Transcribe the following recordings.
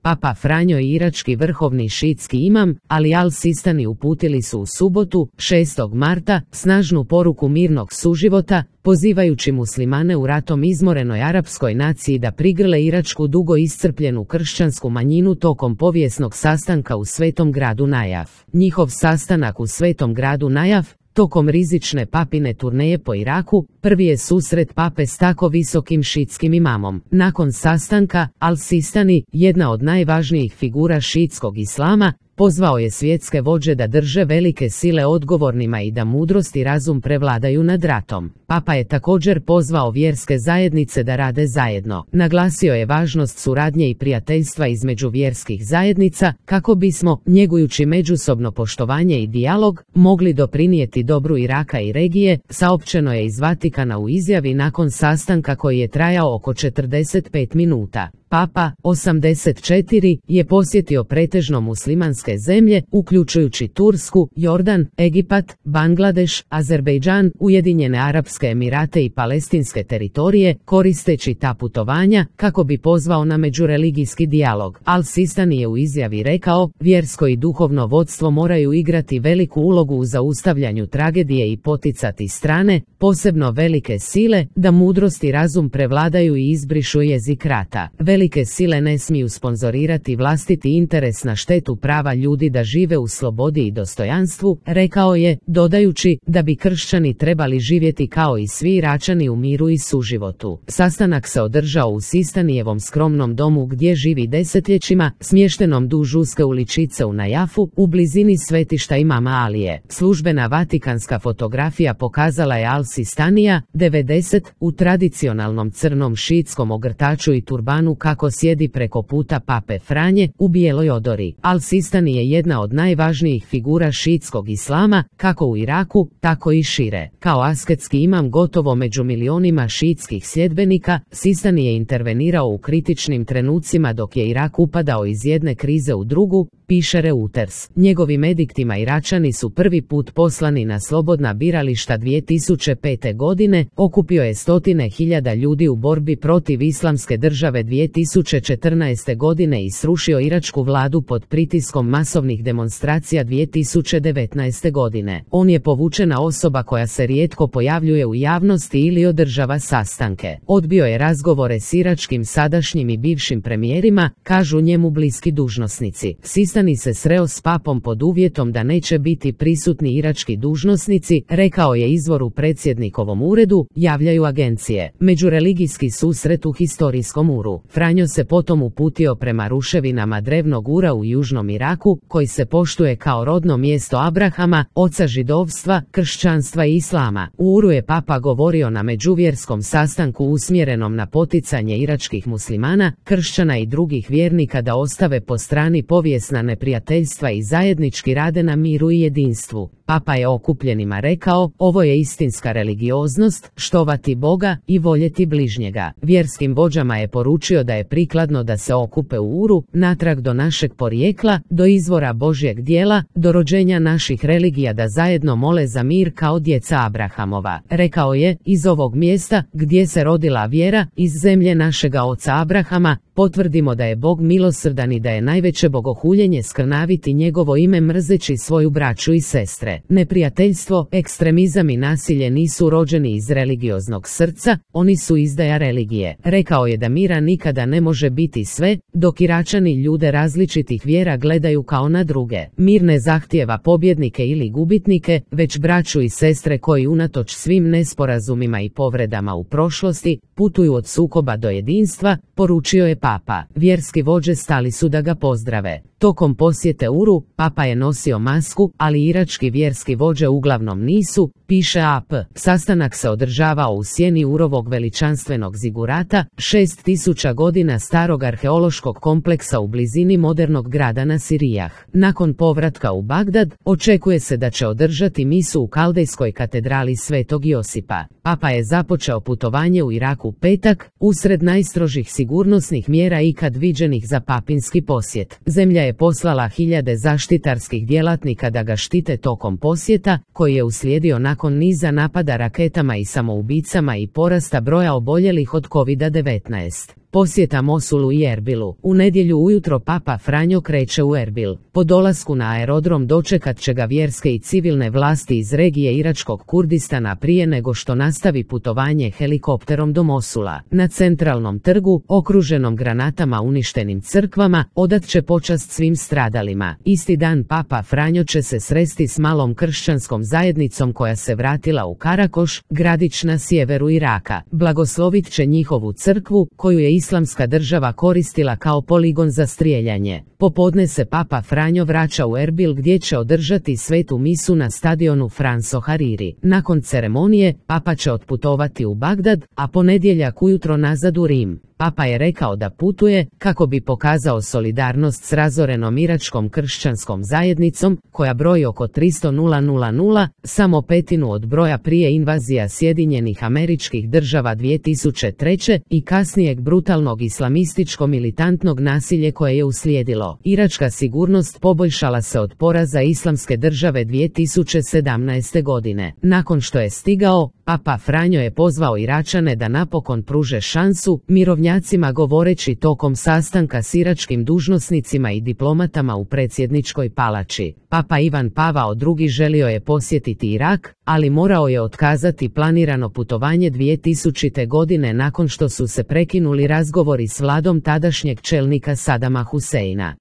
Papa Franjo i irački vrhovni šiitski imam, Ali al-Sistani uputili su u subotu, 6. marta, snažnu poruku mirnog suživota, pozivajući muslimane u ratom izmorenoj arapskoj naciji da prigrle iračku dugo iscrpljenu kršćansku manjinu tokom povijesnog sastanka u svetom gradu Najaf. Njihov sastanak u svetom gradu Najaf, tokom rizične papine turneje po Iraku, prvi je susret pape s tako visokim šiitskim imamom. Nakon sastanka, al-Sistani, jedna od najvažnijih figura šiitskog islama, pozvao je svjetske vođe da drže velike sile odgovornima i da mudrost i razum prevladaju nad ratom. Papa je također pozvao vjerske zajednice da rade zajedno. Naglasio je važnost suradnje i prijateljstva između vjerskih zajednica, kako bismo, njegujući međusobno poštovanje i dijalog, mogli doprinijeti dobru Iraka i regije, saopćeno je iz Vatikana u izjavi nakon sastanka koji je trajao oko 45 minuta. Papa, 84, je posjetio pretežno muslimanske zemlje, uključujući Tursku, Jordan, Egipat, Bangladeš, Azerbejdžan, Ujedinjene Arapske Emirate i palestinske teritorije, koristeći ta putovanja kako bi pozvao na međureligijski dijalog. Al-Sistani je u izjavi rekao, vjersko i duhovno vodstvo moraju igrati veliku ulogu u zaustavljanju tragedije i poticati strane, posebno velike sile, da mudrost i razum prevladaju i izbrišu jezik rata. Velike sile ne smiju sponzorirati vlastiti interes na štetu prava ljudi da žive u slobodi i dostojanstvu, rekao je, dodajući da bi kršćani trebali živjeti kao i svi Iračani u miru i suživotu. Sastanak se održao u Sistanijevom skromnom domu gdje živi desetljećima, smještenom duž uske uličice u Najafu, u blizini svetišta imama Alije. Službena vatikanska fotografija pokazala je al-Sistanija, 90, u tradicionalnom crnom šiitskom ogrtaču i turbanu kako sjedi preko puta pape Franje, u bijeloj odori. Al-Sistani je jedna od najvažnijih figura šiitskog islama, kako u Iraku, tako i šire. Kao asketski imam gotovo među milionima šiitskih sljedbenika, Sistani je intervenirao u kritičnim trenucima dok je Irak upadao iz jedne krize u drugu, piše Reuters. Njegovim ediktima Iračani su prvi put poslani na slobodna birališta 2005. godine, okupio je stotine hiljada ljudi u borbi protiv islamske države 2014. godine i srušio iračku vladu pod pritiskom masovnih demonstracija 2019. godine. On je povučena osoba koja se rijetko pojavljuje u javnosti ili održava sastanke. Odbio je razgovore s iračkim sadašnjim i bivšim premijerima, kažu njemu bliski dužnosnici. Sistani se sreo s papom pod uvjetom da neće biti prisutni irački dužnosnici, rekao je izvor u predsjednikovom uredu, javljaju agencije. Međureligijski susret u historijskom Uru. Franjo se potom uputio prema ruševinama drevnog Ura u južnom Iraku, koji se poštuje kao rodno mjesto Abrahama, oca židovstva, kršćanstva i islama. U Uru je papa govorio na međuvjerskom sastanku usmjerenom na poticanje iračkih muslimana, kršćana i drugih vjernika da ostave po strani povijesna neprijateljstva i zajednički rade na miru i jedinstvu. Papa je okupljenima rekao, ovo je istinska religioznost, štovati Boga i voljeti bližnjega. Vjerskim vođama je poručio da je prikladno da se okupe u Uru, natrag do našeg porijekla, do izvora Božjeg djela, do rođenja naših religija da zajedno mole za mir kao djeca Abrahamova. Rekao je, iz ovog mjesta, gdje se rodila vjera, iz zemlje našega oca Abrahama, potvrdimo da je Bog milosrdan i da je najveće bogohuljenje skrnaviti njegovo ime mrzeći svoju braću i sestre. Neprijateljstvo, ekstremizam i nasilje nisu rođeni iz religioznog srca, oni su izdaja religije. Rekao je da mira nikada ne može biti sve, dok Iračani ljude različitih vjera gledaju kao na druge. Mir ne zahtijeva pobjednike ili gubitnike, već braću i sestre koji unatoč svim nesporazumima i povredama u prošlosti, putuju od sukoba do jedinstva, poručio je papa. Vjerski vođe stali su da ga pozdrave. Tokom posjete Uru, papa je nosio masku, ali irački vjerski vođe uglavnom nisu, piše AP. Sastanak se održavao u sjeni Urovog veličanstvenog zigurata, 6000 godina starog arheološkog kompleksa u blizini modernog grada Nasirijah. Nakon povratka u Bagdad, očekuje se da će održati misu u kaldejskoj katedrali Svetog Josipa. Papa je započeo putovanje u Iraku petak, usred najstrožih sigurnosnih mjera ikad viđenih za papinski posjet. Zemlja je poslala hiljade zaštitarskih djelatnika da ga štite tokom posjeta, koji je uslijedio nakon niza napada raketama i samoubicama i porasta broja oboljelih od COVID-19. Posjeta Mosulu i Erbilu. U nedjelju ujutro Papa Franjo kreće u Erbil. Po dolasku na aerodrom dočekat će ga vjerske i civilne vlasti iz regije iračkog Kurdistana prije nego što nastavi putovanje helikopterom do Mosula. Na centralnom trgu, okruženom granatama uništenim crkvama, odat će počast svim stradalima. Isti dan Papa Franjo će se sresti s malom kršćanskom zajednicom koja se vratila u Karakoš, gradić na sjeveru Iraka. Blagoslovit će njihovu crkvu, koju je Islamska država koristila kao poligon za strijeljanje. Popodne se Papa Franjo vraća u Erbil gdje će održati svetu misu na stadionu Franco Hariri. Nakon ceremonije, Papa će otputovati u Bagdad, a ponedjeljak ujutro nazad u Rim. Papa je rekao da putuje kako bi pokazao solidarnost s razorenom iračkom kršćanskom zajednicom, koja broji oko 300.000, samo petinu od broja prije invazija Sjedinjenih Američkih Država 2003. i kasnijeg brutalnog islamističko-militantnog nasilje koje je uslijedilo. Iračka sigurnost poboljšala se od poraza Islamske države 2017. godine. Nakon što je stigao, Papa Franjo je pozvao Iračane da napokon pruže šansu mirovnjacima, govoreći tokom sastanka s iračkim dužnosnicima i diplomatama u predsjedničkoj palači. Papa Ivan Pavao II želio je posjetiti Irak, ali morao je otkazati planirano putovanje 2000. godine nakon što su se prekinuli razgovori s vladom tadašnjeg čelnika Sadama Huseina.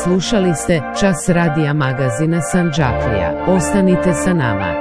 Slušali ste Čas radija magazina Sandžaklija. Ostanite sa nama.